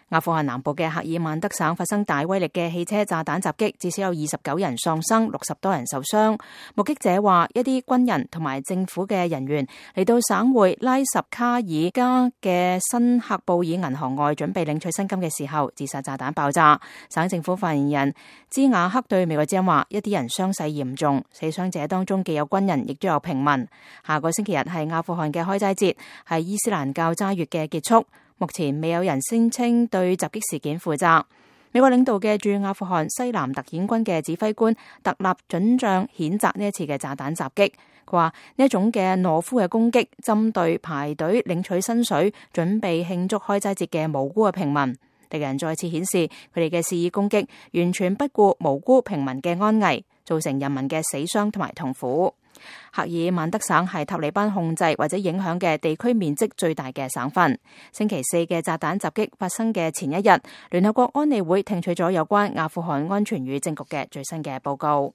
阿富汗南部嘅赫爾曼德省發生大威力嘅汽車炸彈襲擊，至少有29人喪生，60多人受傷。目擊者話，一啲軍人同埋政府嘅人員嚟到省會拉什卡爾加嘅新喀布爾銀行外，準備領取薪金嘅時候，自殺炸彈爆炸。省政府發言人茲瓦克對美國之音話，一啲人傷勢嚴重，死傷者當中既有軍人，亦都有平民。下個星期日係阿富汗嘅開齋節，係伊斯蘭教齋月嘅結束。目前未有人聲稱對襲擊事件負責。美國領導嘅駐阿富汗西南特遣軍嘅指揮官特納准將譴責呢一次嘅炸彈襲擊。佢話呢一種嘅懦夫嘅攻擊，針對排隊領取薪水、準備慶祝開齋節嘅無辜嘅平民。敵人再次顯示佢哋嘅肆意攻擊，完全不顧無辜平民嘅安危，造成人民嘅死傷同埋痛苦。赫爾曼德省係塔利班控制或者影響嘅地區面積最大嘅省份。星期四嘅炸彈襲擊發生嘅前一日，聯合國安理會聽取咗有關阿富汗安全與政局嘅最新嘅報告。